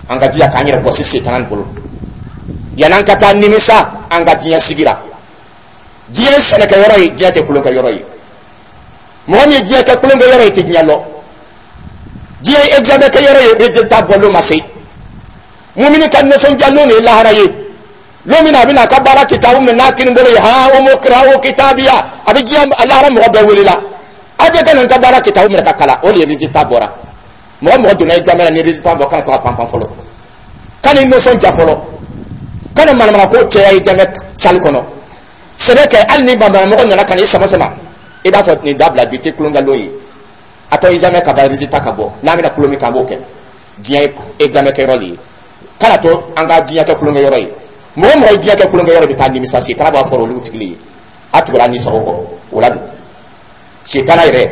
an ka jija k'an yɛrɛ bɔsi setana nin bolo yan'an ka taa nimisa an ka diɲɛ sigira. Diɲɛ ye sɛnɛkɛyɔrɔ ye, diɲɛ tɛ kulonkɛyɔrɔ ye. Mɔgɔ min ye diɲɛ kɛ kulonkɛyɔrɔ ye, tɛ diɲɛ lɔ. Diɲɛ ye examen kɛyɔrɔ ye, résultat bɔlon ma se. Mumini ka nisɔndiya lon de ye lahara ye, lon min na a bɛna a ka baara kitabu minɛ n'a kini bolo ye. Ha umu kitabiya, a bɛ diɲɛ lahara mɔgɔ bɛɛ wele la, aw bɛɛ ka na n ka baara kitabu minɛ ka kalan. O de ye résultat bɔra. Mɔgɔ mɔgɔ donna examen na, ni résultat bɔ, kana to ka panpan fɔlɔ, kana i nisɔndiya fɔlɔ, kana manamana ko cɛya examen salle kɔnɔ. Sɛbɛ kɛ, hali ni banbanamɔgɔ nana ka n'i sama sama, i b'a fɔ nin dabila, bi tɛ kulonkɛ lon ye. A tɔ examen ka ban, résultat ka bɔ, n'an bɛna kulon min kan, an b'o kɛ. Diɲɛ ye examen kɛyɔrɔ de ye, kana to an ka diɲɛ kɛ kulonkɛ yɔrɔ ye. Mɔgɔ mɔgɔ ye diɲɛ kɛ kulonkɛ yɔrɔ, bɛ taa nimisa. Setana b'a fɔ olu tigi ye, a tugura ni sago kɔ. O la dun, setana yɛrɛ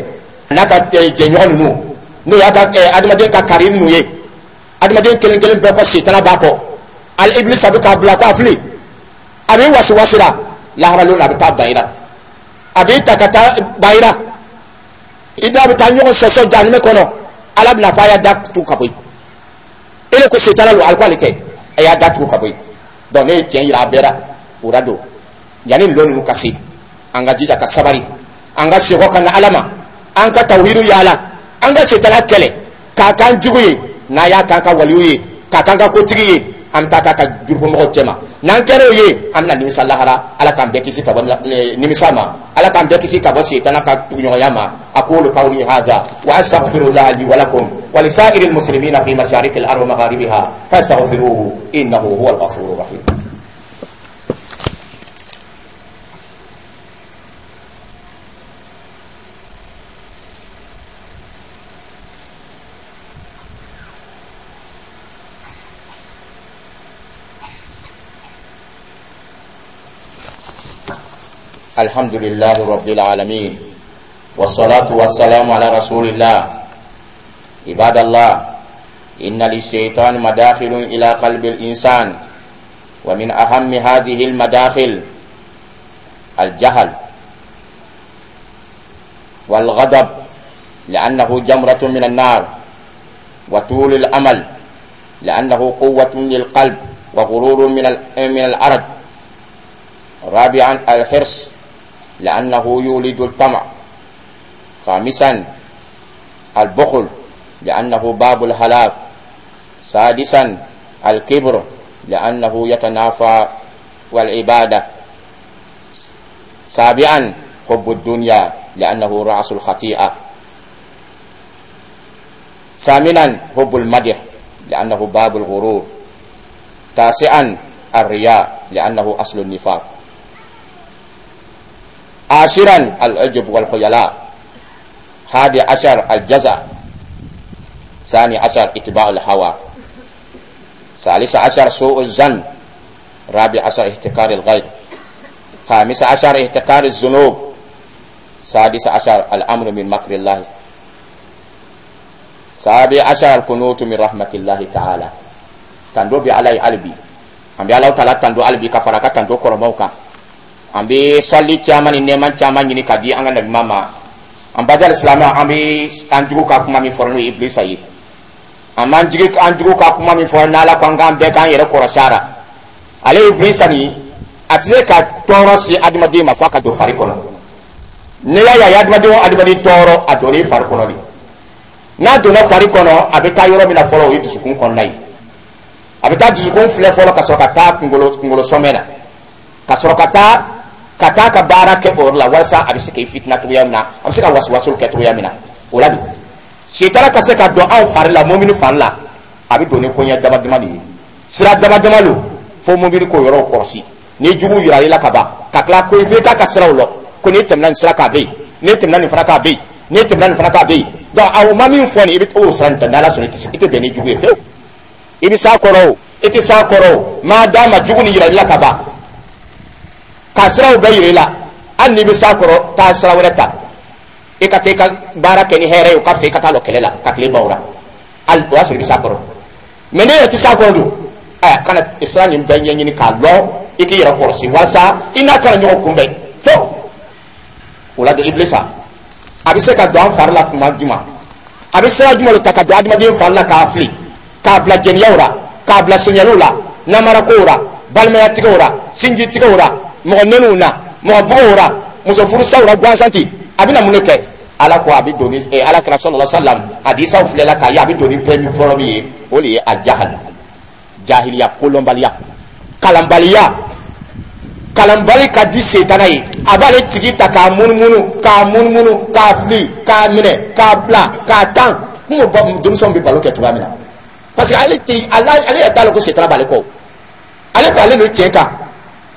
n'a ka jɛɲɔgɔn ninnu, n'o y'a ka adamaden ka kari ninnu ye, adamaden kelen kelen bɛɛ kɔ, setana b'a kɔ. Ali Ibilisa bɛ k'a bila k'a fili, a bɛ wasi wasi la. Lahara lon na, a bɛ taa ban i la, a b'i ta ka taa ban i la, i n'a bɛ taa ɲɔgɔn sɔsɔ jahanamɛ kɔnɔ. Ala bɛna fɔ a y'a da tugu ka bɔ yen. E de ko setana don, ali ko ale tɛ, a y'a da tugu ka bɔ yen. Donc ne ye tiɲɛ yira a bɛɛ la. O la don, yanni lon ninnu ka se, an ka jija ka sabari, an ka segin ka na Ala ma, an ka tawhidu yaala, an ka setana kɛlɛ k'a k'an jugu ye. N'a y'a k'an ka waliyu ye, k'a k'an ka kotigi ye, an bɛ taa k'a ka jurufɔmɔgɔw cɛma. N'an kɛra o ye, an bɛna nimisa lahara. Ala k'an bɛɛ kisi ka bɔ nimisa ma, Ala k'an bɛɛ kisi ka bɔ setana ka tuguɲɔgɔnya ma. Aqulu qawli hadha wa astaghfirullaha li wa lakum wa lisa'iril muslimina fi masharikil ardi wa magharibiha fastaghfiruhu innahu huwal ghafurur rahim. الحمد لله رب العالمين، والصلاة والسلام على رسول الله. عباد الله، إن للشيطان مداخل إلى قلب الإنسان، ومن أهم هذه المداخل الجهل والغضب، لأنه جمرة من النار، وطول الأمل، لأنه قوة للقلب وغرور من من الأرض. رابعا الحرص، لأنه يولد الطمع. خامسا البخل، لأنه باب الهلاك. سادسا الكبر، لأنه يتنافى والعبادة. سابعا حب الدنيا، لأنه رأس الخطيئة. ثامنا حب المدح، لأنه باب الغرور. تاسعا الرياء، لأنه أصل النفاق. عاشرا العجب والخيلاء. حادي عشر الجزع. ثاني عشر اتباع الهوى. ثالث عشر سوء الظن. رابع عشر احتقار الغير. خامس عشر احتقار الذنوب. سادس عشر الأمر من مكر الله. سابع عشر القنوت من رحمة الله تعالى. Tando bɛ Ala ye hali bi, an bɛ Ala taala tando hali bi ka fara ka tando kɔrɔmaw kan. An bɛ sali caman ni nɛɛma caman ɲini ka di an ka nabi ma. An baja silamɛ, an bɛ an jugu ka kuma min fɔra, n'o ye Ibilisa ye, an b'an jigi an jugu ka kuma min fɔra, n'Ala ko an k'an bɛɛ k'an yɛrɛ kɔrɔsi a la. Ale Ibilisa nin, a tɛ se ka tɔɔrɔ se adamaden ma f'a ka don fari kɔnɔ. N'i y'a ye a ye adamaden o adamaden tɔɔrɔ, a donn'i fari kɔnɔ de. N'a donna fari kɔnɔ, a bɛ taa yɔrɔ min na fɔlɔ, o ye dusukun kɔnɔna ye. A bɛ taa dusukun filɛ fɔlɔ, ka sɔrɔ ka taa kunkolo kunkolo sɔmɛ na, ka sɔrɔ ka taa ka taa ka baara kɛ o yɔrɔ la, walasa a bɛ se k'i fitina cogoya min na, a bɛ se ka wasuwasu kɛ cogoya min na. O la bi, sitana ka se ka don anw fari la, mɔmini fari la, a bɛ don ni koɲɛ dama dama de ye, sira dama dama don, fo mɔmini k'o yɔrɔw kɔlɔsi. Ni jugu yira i la ka ban, ka tila ko i k'a ka siraw lɔ, ko n'i tɛmɛna nin sira kan, a bɛ yen, n'i tɛmɛna nin fana kan, a bɛ yen, n'i tɛmɛna nin fana kan, a bɛ yen. Donc a ma min fɔ nin, i bɛ t'o sira nin ta. N'Ala sɔnna, i tɛ bɛn ni jugu ye fiyewu. I bɛ s'a kɔrɔ o, i tɛ s'a kɔrɔ o, maa d'a ma jugu ni yira i la ka ban, ka siraw bɛɛ yira i la. Hali n'i bɛ s'a kɔrɔ, taa sira wɛrɛ ta, i ka taa i ka baara kɛ ni hɛrɛ ye, o ka fisa i ka taa lɔ kɛlɛ la ka tile ban o la. Hali o y'a sɔrɔ i bɛ s'a kɔrɔ, mɛ ne yɛrɛ tɛ s'a kɔrɔ dun. Ɛ, kana sira nin bɛɛ ɲɛɲini k'a lɔn, i k'i yɛrɛ kɔlɔsi walasa i n'a kana ɲɔgɔn kunbɛn fo. don? Ibilisa a bɛ se ka don an fari la kuma jumɛn? A bɛ sira jumɛn de ta ka don adamaden fari la k'a fili, k'a bila jɛniyaw la, k'a bila sonyaliw la, namarakow la, balimayatigɛw la, sinjitigɛw la, mɔgɔ neniw na, mɔgɔ bugɔw la, muso furusaw la gansan ten? A bɛna mun de kɛ? Ala ko a bɛ don ni Ala kira sallallahu alaihi wasallam hadisaw filɛla k'a ye, a bɛ don ni fɛn fɔlɔ min ye, o de ye aljahal, jahiliya, kolɔnbaliya, kalanbaliya. Kalanbali ka di setana ye. A b'ale tigi ta k'a munumunu, k'a munumunu, k'a fili, k'a minɛ, k'a bila, k'a tan. N ko denmisɛnw bɛ balo kɛ cogoya min na, parce que ale tɛ ale ale yɛrɛ t'a lɔn ko setana b'ale kɔ. Ale ko ale bɛ tiɲɛ kan,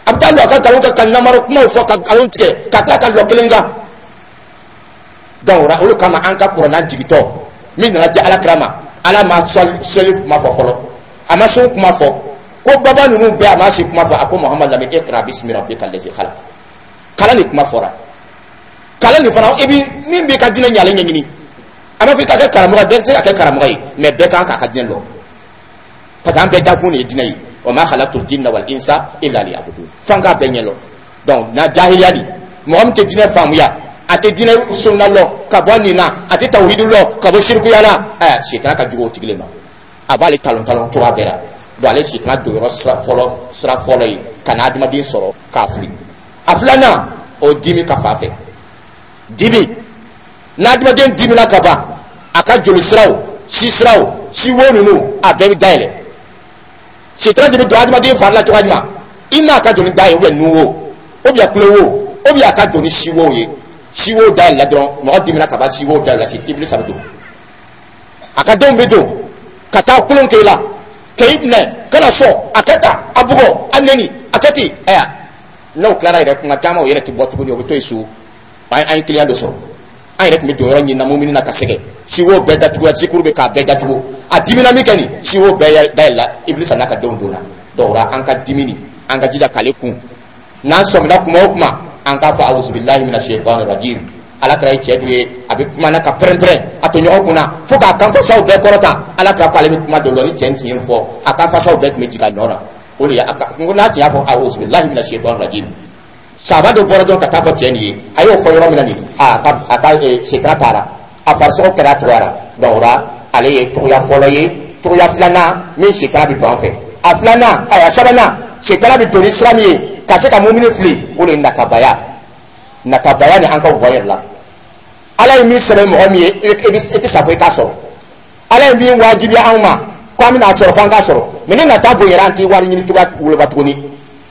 a bɛ taa lɔ a ka nkalon kɛ, ka namara kumaw fɔ, ka nkalon tigɛ, ka tila ka lɔ kelen kan. Donc o de kama, an ka kuranna jigitɔ min nana di Ala kira ma, Ala ma sɔli kuma fɔ fɔlɔ, a ma sun kuma fɔ, ko baba ninnu bɛɛ, a ma si kuma fɔ. A ko: "Muhamadu, lamɛn, iqra bismi rabbika allazi khalaq." Kalan ni kuma fɔra. Kalan nin fana, i bi min b'i ka diinɛ ɲalen ɲɛɲini. A ma fɔ i ka kɛ karamɔgɔ ye, bɛɛ tɛ se ka kɛ karamɔgɔ ye, mais bɛɛ kan k'a ka diinɛ lɔn, parce que an bɛɛ dakun de ye diinɛ ye. Wa ma khalaqtul jinna wal insa illa liya'budun. F'an k'a bɛɛ ɲɛ lɔn. Donc na jahiliya di, mɔgɔ min tɛ diinɛ faamuya, a tɛ diinɛ sunna lɔn ka bɔ nin na, a tɛ tawhidu lɔn ka bɔ sirikuya la, ɛ sitana ka jugu o tigi le ma. A b'ale talon talon cogoya bɛɛ la. Donc ale sitana don yɔrɔ sira fɔlɔ sira fɔlɔ ye ka na adamaden sɔrɔ k'a fili. A filanan, o dimi ka fan fɛ. Dimi, n'adamaden dimina ka ban, a ka joli siraw, si siraw, siwo ninnu, a bɛɛ bɛ dayɛlɛ. Sitana de bɛ don adamaden fari la cogoya jumɛn? I m'a ka joli dayɛlɛ, ou bien nun wo, ou bien tulo wo, ou bien a ka don ni siwow ye. Siwo dayɛlɛ dɔrɔn, mɔgɔ dimina ka ban, siwo dayɛlɛ, Ibilisa bɛ don, a ka denw bɛ don ka taa kulon kɛ i la, k'i minɛ, kana sɔn, a kɛ tan, a bugɔ, a neni, a kɛ ten. Ɛya, n'o tilara yɛrɛ, kuma caman o yɛrɛ tɛ bɔ tuguni, o bɛ to yen so. an an ye client dɔ sɔrɔ, an yɛrɛ tun bɛ don yɔrɔ ɲini na mumini na ka sɛgɛn, siwo bɛɛ datugula, zikuru bɛ k'a bɛɛ datugu. A dimina min kɛ nin, siwo bɛɛ dayɛlɛla, Ibilisa n'a ka denw donna. Donc o la, an ka dimi nin, an ka jija k'ale kun. N'an sɔmina kuma o kuma, an k'a fɔ: awuzubilahi mina shaitan rajim. Ala kɛra ye cɛ dɔ ye, a bɛ kuma na ka pɛrɛn-pɛrɛn a to ɲɔgɔn kunna fo k'a kanfasaw bɛɛ kɔrɔta. Ala kɛra ko ale bɛ kuma dɔ lɔ ni cɛ in tun ye fɔ, a kanfasaw bɛɛ tun bɛ jigin a nɔ na. O de ye a ka n ko n'a tun y'a fɔ: awuzubilahi mina shaitan rajim. Saba dɔ bɔra dɔrɔn ka taa fɔ cɛ nin ye. A y'o fɔ yɔrɔ min na nin, a ka a ka setana taara, a farisogo kɛra a cogoya la. Donc o la, ale ye cogoya fɔlɔ ye. Cogoya filanan min setana bɛ don an fɛ, a filanan, a sabanan, setana bɛ don ni sira min ye ka se ka mumini fili, o de ye natabaya. Natabaya ni an ka bɔ yɛrɛ la. Ala ye min sɛbɛn mɔgɔ min ye, e tɛ sa fo i k'a sɔrɔ. Ala ye min wajibiya anw ma ko an bɛna sɔrɔ, f'an k'a sɔrɔ. Mais ni nata bonyara, an tɛ wari ɲini cogoya woloba tuguni.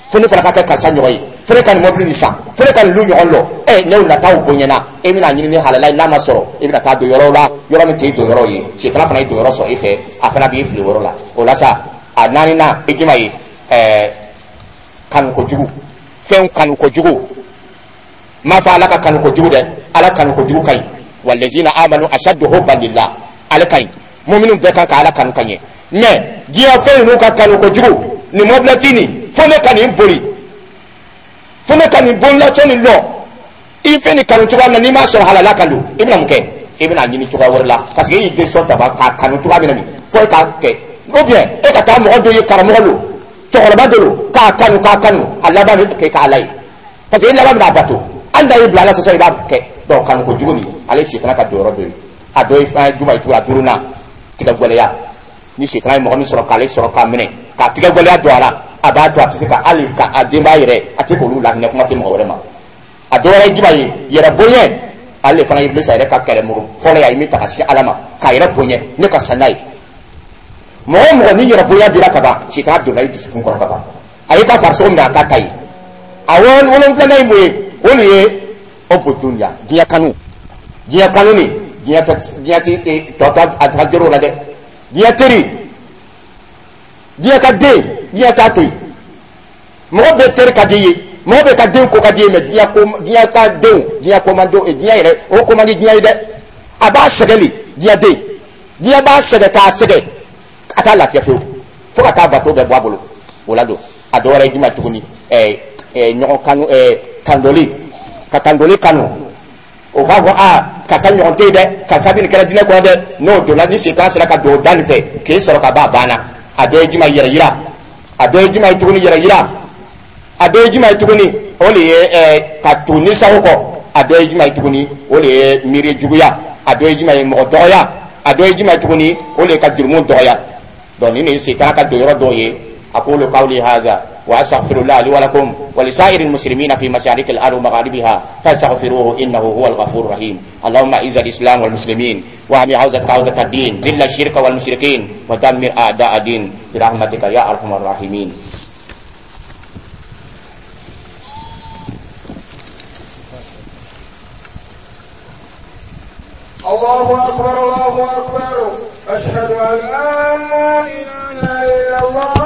Fo ne fana ka kɛ karisa ɲɔgɔn ye, fo ne ka nin mɔbili nin san, fo ne ka nin lu ɲɔgɔn lɔ. Ɛ, n'o nataw bonyana, e bɛna ɲini ni halala ye. N'a ma sɔrɔ, e bɛna taa don yɔrɔw la, yɔrɔ min t'e don yɔrɔ ye. Setana fana ye don yɔrɔ sɔrɔ e fɛ, a fana b'i fili o yɔrɔ la. O la sa, a naaninan e jumɛn ye? Ɛɛ kanu kojugu, fɛnw kanu kojugu. N m'a fɔ Ala ka kanu kojugu dɛ, Ala kanu kojugu ka ɲi. Walazina amanu ashaddu hubban lillah, ale ka ɲi. Muminu bɛɛ kan ka Ala kanu ka ɲɛ. Mais diɲɛ fɛn ninnu ka kanu kojugu, nin mɔbilɛti nin, fo ne ka nin boli, fo ne ka nin bolilacɔ nin lɔ. I fɛn nin kanu cogoya min na, n'i m'a sɔrɔ halala kan don, i bɛna mun kɛ? I bɛna ɲini cogoya wɛrɛ la, parce que e y'i den sɔn daba k'a kanu cogoya min na nin, fo e k'a kɛ. Ou bien e ka taa mɔgɔ dɔ ye, karamɔgɔ don, cɛkɔrɔba dɔ don, k'a kanu, k'a kanu, a laban bɛ kɛ k'a la ye, parce que e laban bɛna a bato. Hali n'a y'i bila Ala sɔsɔ, i b'a kɛ. Donc kanu kojugu nin, ale sitana ka don yɔrɔ dɔ ye. A dɔ ye fɛn jumɛn ye tuguni? A duurunan, tigɛ gɛlɛya. Ni sitana ye mɔgɔ min sɔrɔ, k'ale sɔrɔ k'a minɛ, k'a tigɛ gɛlɛya don a la, a b'a to a tɛ se ka hali ka a denbaya yɛrɛ, a tɛ k'olu lahinɛ, kuma tɛ mɔgɔ wɛrɛ ma. A dɔ wɛrɛ ye jumɛn ye? Yɛrɛ bonya. Ale fana ye Ibilisa yɛrɛ ka kɛlɛmuru fɔlɔ ye. A ye min ta ka se Ala ma k'a yɛrɛ bonya, ne ka san n'a ye. Mɔgɔ o mɔgɔ ni yɛrɛ bonya dira ka ban, sitana donna i dusukun kɔrɔ ka ban, a y'i ka farisogo minɛ, a k'a ta ye. A wolonfilanan ye mun ye? O de ye o dunya, diɲɛ kanu. Diɲɛ kanu ni diɲɛ tɛ, diɲɛ tɛ tɔ tɔ a ka jɔrɔ o la dɛ. Diɲɛ teri, diɲɛ ka den, diɲɛ t'a to yen. Mɔgɔ bɛɛ teri ka di i ye, mɔgɔ bɛɛ ka den ko ka di i ye, mais diɲɛ ko, diɲɛ ka denw, diɲɛ ko man di diɲɛ yɛrɛ, o ko man di diɲɛ ye dɛ. A b'a sɛgɛn de, diɲɛ den, diɲɛ b'a sɛgɛn k'a sɛgɛn, a t'a lafiya fiyewu fo ka taa bato bɛɛ bɔ a bolo. O la don, a dɔ wɛrɛ ye jumɛn tuguni? ɛɛ ɛɛ ɲɔgɔn kanu, ɛɛ kandoli, ka kandoli kanu. O b'a fɔ: aa, karisa ɲɔgɔn tɛ yen dɛ, karisa bɛ nin kɛra diinɛ kɔnɔ dɛ. N'o donna, ni setan sera ka don o da nin fɛ k'e sɔrɔ ka ban, a banna. A dɔ ye jumɛn? Yɛrɛ yira. A dɔ ye jumɛn ye tuguni? Yɛrɛ yira. A dɔ ye jumɛn ye tuguni? O de ye ɛɛ ka tugu ni sago kɔ. A dɔ ye jumɛn ye tuguni? O de ye miiri juguya. A dɔ ye jumɛn ye? Mɔgɔ dɔgɔya. A dɔ ye jumɛn ye tuguni? O de ye ka jurumu dɔgɔya. Donc nin de ye setana ka don yɔrɔ dɔw ye. أقول قولي هذا وأستغفر الله لي ولكم ولسائر المسلمين في مشارق الأرض ومغاربها، فاستغفروه إنه هو الغفور الرحيم. اللهم أعز الإسلام والمسلمين، واحم حوزة حوزة الدين، ذل الشرك والمشركين، ودمر أعداء الدين برحمتك يا أرحم الراحمين. الله أكبر، الله أكبر، أشهد أن لا إله إلا الله.